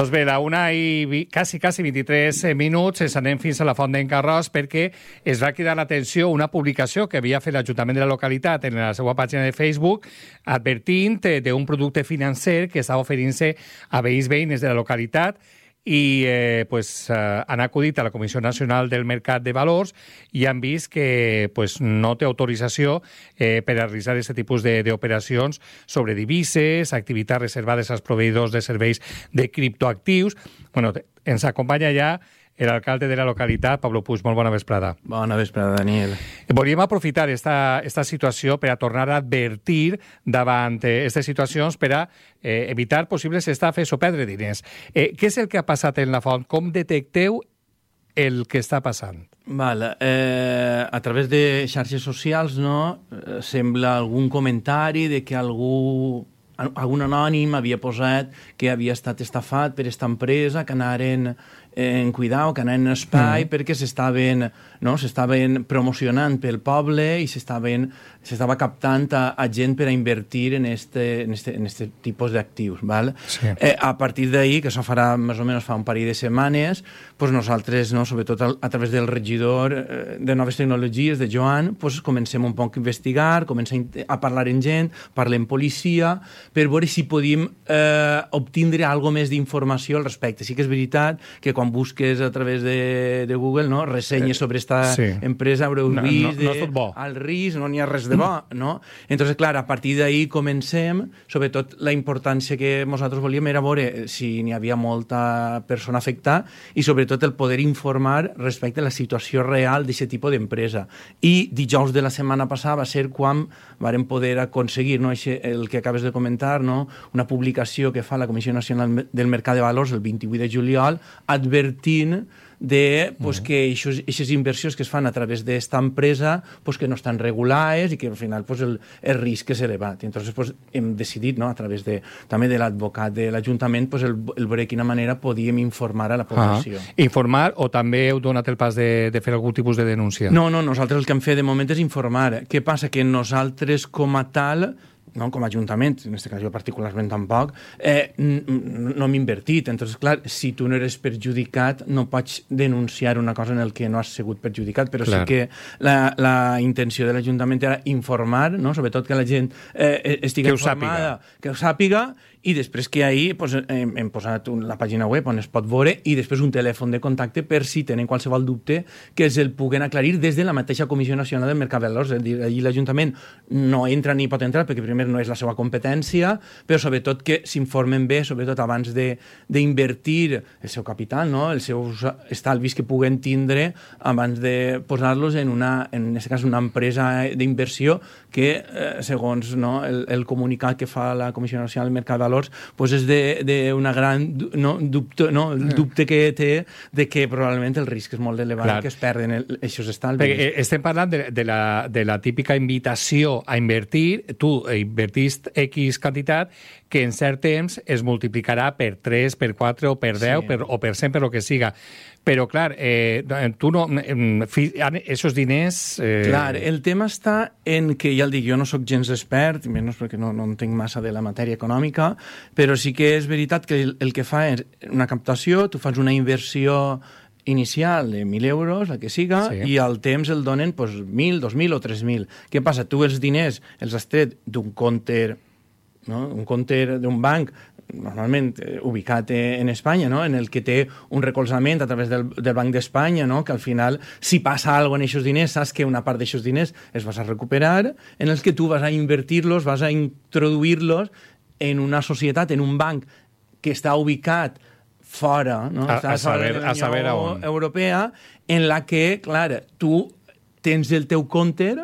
Doncs bé, a 1 i quasi 23 minuts ens anem fins a la Font d'en Carròs perquè es va cridar l'atenció una publicació que havia fet l'Ajuntament de la localitat en la seva pàgina de Facebook advertint d'un producte financer que estava oferint-se a veïns de la localitat i han acudit a la Comissió Nacional del Mercat de Valors i han vist que no té autorització per a realitzar aquest tipus d'operacions sobre divises, activitats reservades als proveïdors de serveis de criptoactius. Bueno, ens acompanya ja l'alcalde de la localitat, Pablo Puig. Molt bona vesprada. Bona vesprada, Daniel. Volíem aprofitar esta situació per a tornar a advertir davant aquestes situacions per a evitar possibles estafes o perdre diners. Què és el que ha passat en la Font? Com detecteu el que està passant? A través de xarxes socials, sembla algun comentari de que algun anònim havia posat que havia estat estafat per aquesta empresa, que anaren en cuidar, que anaren en espai, perquè s'estaven promocionant pel poble i s'estava captant a gent per a invertir en este tipus d'actius. Sí. A partir d'ahir, que això farà més o menys fa un parell de setmanes, nosaltres, sobretot a través del regidor de Noves Tecnologies, de Joan, comencem un poc a investigar, comencem a parlar amb gent, parlem amb policia, per veure si podíem obtindre alguna més d'informació al respecte. Sí que és veritat que quan busques a través de Google, ressenyes sobre esta empresa, haureu vist al risc, no n'hi ha res de bo, no? Entonces, clar, a partir d'ahir comencem, sobretot la importància que nosaltres volíem era veure si n'hi havia molta persona afectada i sobretot el poder informar respecte a la situació real d'aquest tipus d'empresa. I dijous de la setmana passada va ser quan vàrem poder aconseguir el que acabes de comentar, una publicació que fa la Comissió Nacional del Mercat de Valors el 28 de juliol advertint que aquestes inversions que es fan a través d'esta empresa que no estan regulades i que al final el risc és elevat. Entonces hem decidit, a través també de l'advocat de l'Ajuntament, el veure de quina manera podíem informar a la població. Informar o també heu donat el pas de fer algun tipus de denúncia? No, nosaltres el que hem fet de moment és informar. Què passa? Que nosaltres com a tal, com a Ajuntament, en aquest cas jo particularment tampoc, no hem invertit. Entonces, clar, si tu no eres perjudicat, no pots denunciar una cosa en el que no has sigut perjudicat, però sí que la intenció de l'Ajuntament era informar, sobretot que la gent estigui informada, que ho sàpiga, i després que ahir hem posat la pàgina web on es pot veure i després un telèfon de contacte per si tenen qualsevol dubte que el puguen aclarir des de la mateixa Comissió Nacional del Mercat de Valors. És a dir, allí l'Ajuntament no entra ni pot entrar perquè primer no és la seva competència, però sobretot que s'informen bé, sobretot abans d'invertir el seu capital, els seus estalvis que puguen tindre abans de posar-los en aquest cas una empresa d'inversió que, segons el comunicat que fa la Comissió Nacional del Mercat de Valors, és d'una gran dubte que té de que probablement el risc és molt elevat que es perden aquests estalvis. Estem parlant de la típica invitació a invertir. Tu invertist X quantitat que en cert temps es multiplicarà per 3, per 4 o per 10 o per 100, per el que siga. Però, clar, tu no... Esos diners... Clar, el tema està en que, ja el dic, jo no sóc gens expert, menys perquè no entenc massa de la matèria econòmica, però sí que és veritat que el que fa és una captació, tu fas una inversió inicial de 1.000 euros, la que siga, i al temps el donen 1.000, 2.000 o 3.000. Què passa? Tu els diners els has tret d'un compte, un compte d'un banc normalment ubicat en Espanya, en el que té un recolzament a través del Banc d'Espanya, que al final, si passa alguna cosa en aquests diners, saps que una part d'aquests diners es vas a recuperar, en els que tu vas a invertir-los, vas a introduir-los en una societat, en un banc que està ubicat fora, a saber a on. Europea, en la que, clar, tu tens el teu compte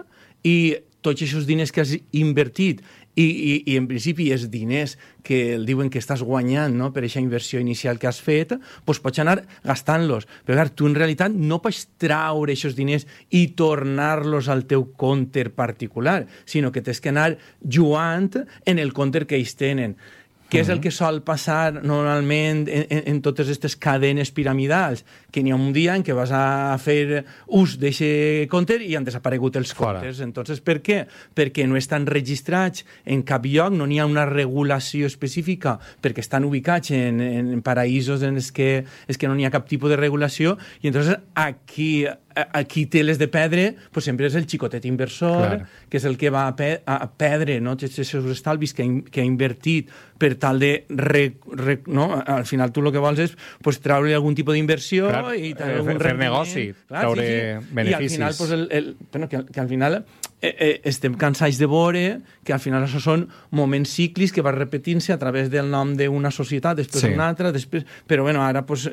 i tots aquests diners que has invertit i en principi els diners que el diuen que estàs guanyant per aquesta inversió inicial que has fet, pots anar gastant-los. Però clar, tu en realitat no pots traure aquests diners i tornar-los al teu compte particular, sinó que tens que anar jugant en el compte que ells tenen. Què és el que sol passar normalment en totes aquestes cadenes piramidals? Que n'hi ha un dia en què vas a fer ús d'aquest compte i han desaparegut els comptes. Entonces, per què? Perquè no estan registrats en cap lloc, no n'hi ha una regulació específica, perquè estan ubicats en paraïsos en els que no n'hi ha cap tipus de regulació, i entonces aquí té les de perdre, pues sempre és el xicotet inversor, que és el que va a perdre, no? Tots els seus estalvis que ha invertit per tal de... no? Al final tu el que vols és pues, treure algun tipus d'inversió i fer negoci, treure beneficis. I al final, que al final estem cansats de veure que al final això són moments cíclics que van repetint-se a través del nom d'una societat, després una altra, després... Però bueno, ara pues,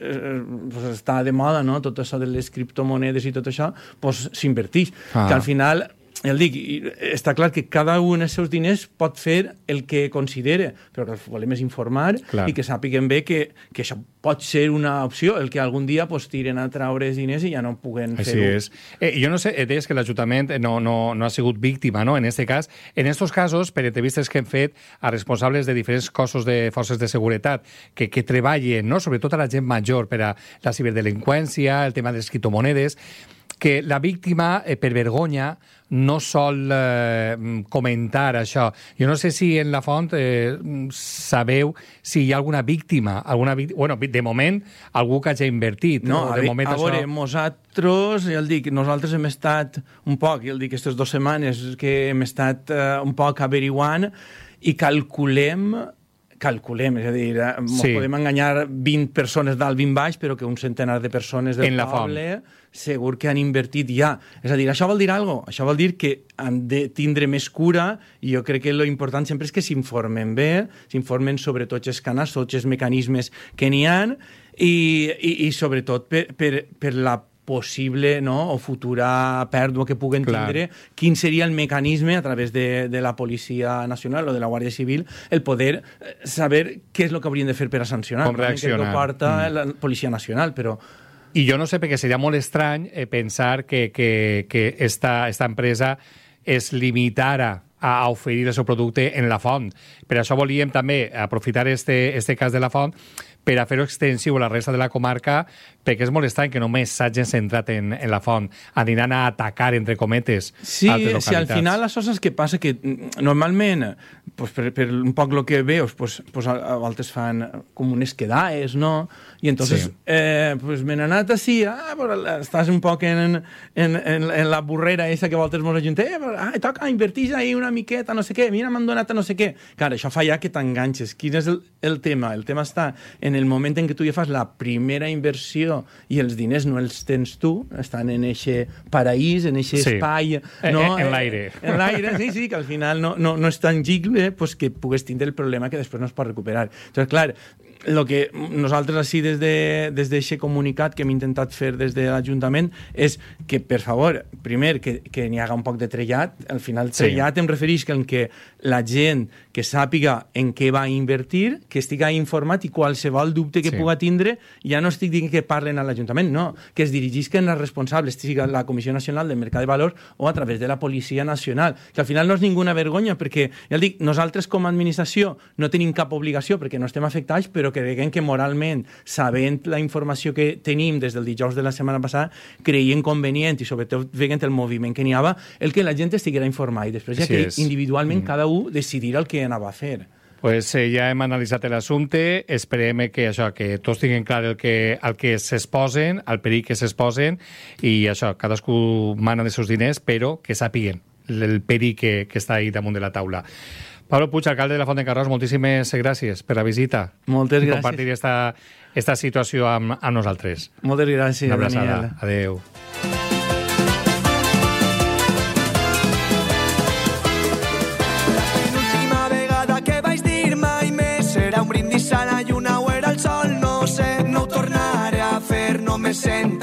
està de moda, no? Tot això de les criptomonedes i tot això, pues, s'inverteix. Que al final... està clar que cada un dels seus diners pot fer el que considera, però que el que volem és informar i que sàpiguen bé que això pot ser una opció, el que algun dia pues, tiren a treure els diners i ja no puguen fer-ho. Així és. Jo no sé, deies que l'Ajuntament no ha sigut víctima, no?, en aquest cas. En aquests casos, per entrevistes que hem fet a responsables de diferents cossos de forces de seguretat que treballen, no?, sobretot a la gent major per a la ciberdelinqüència, el tema de les criptomonedes, que la víctima, per vergonya, no sol comentar això. Jo no sé si en la font sabeu si hi ha alguna víctima. Bueno, de moment, algú que hagi invertit. No, a veure, nosaltres hem estat un poc, aquestes 2 setmanes que hem estat un poc averiguant i calculem, és a dir, podem enganyar 20 persones dalt, 20 baix, però que un centenar de persones del poble segur que han invertit ja. És a dir, això vol dir alguna cosa. Això vol dir que han de tindre més cura i jo crec que l'important sempre és que s'informen bé, s'informen sobre tots els canals, tots els mecanismes que n'hi ha i sobretot per la possible o futura pèrdua que puguen tindre, quin seria el mecanisme a través de la Policia Nacional o de la Guàrdia Civil, el poder saber què és el que haurien de fer per a sancionar. Com reaccionar. Que ho porta la Policia Nacional, però... I jo no sé, perquè seria molt estrany pensar que esta empresa es limitara a oferir el seu producte en la font. Per això volíem també aprofitar este cas de la font per a fer-ho extensiu a la resta de la comarca, perquè és molt estrany que només s'hagin centrat en la font, aniran a atacar, entre cometes, altres localitats. Sí, al final això és que passa que normalment, pues, per un poc el que veus, pues, a voltes fan com unes quedades, no? I entonces, pues, me n'he anat així, pues, estàs un poc en la burrera esa que a voltes mos ajuntem, toca invertir ahí una miqueta, no sé què, mira, m'han donat no sé què. Clar, això fa ja que t'enganxes. Quin és el tema? El tema està en el moment en què tu ja fas la primera inversió i els diners no els tens tu, estan en eixe paraís, en eixe espai... No? En l'aire. En l'aire, sí, que al final no és tangible, pues que pugues tindre el problema que després no es pot recuperar. Entonces, clar, el que nosaltres així des d'aquest comunicat que hem intentat fer des de l'Ajuntament és que, per favor, primer, que n'hi haga un poc de trellat. Al final, trellat em refereix que la gent que sàpiga en què va invertir, que estigui informat i qualsevol dubte que puga tindre, ja no estic dient que parlen a l'Ajuntament, no, que es dirigisquen als responsables, sigui la Comissió Nacional del Mercat de Valors o a través de la Policia Nacional, que al final no és ninguna vergonya, perquè, ja dic, nosaltres com a administració no tenim cap obligació perquè no estem afectats, però creiem que moralment, sabent la informació que tenim des del dijous de la setmana passada, creiem convenient i sobretot veient el moviment que n'hi havia, el que la gent estiguera informada i després ja que individualment cada un decidirà el que anava a fer. Pues ja hem analitzat l'assumpte, esperem que tots tinguin clar el que s'exposen, el perill que s'exposen, i això, cadascú mana dels seus diners, però que sàpiguen el perill que està ahí damunt de la taula. Pablo Puig, alcalde de la Font d'en Carròs, moltíssimes gràcies per la visita. Moltes gràcies. Compartir esta situació amb nosaltres. Moltes gràcies, Una abraçada. Adéu. L'última vegada que vaig dir mai més serà un brindis a la lluna o era el sol, no sé, no ho tornaré a fer, no me sento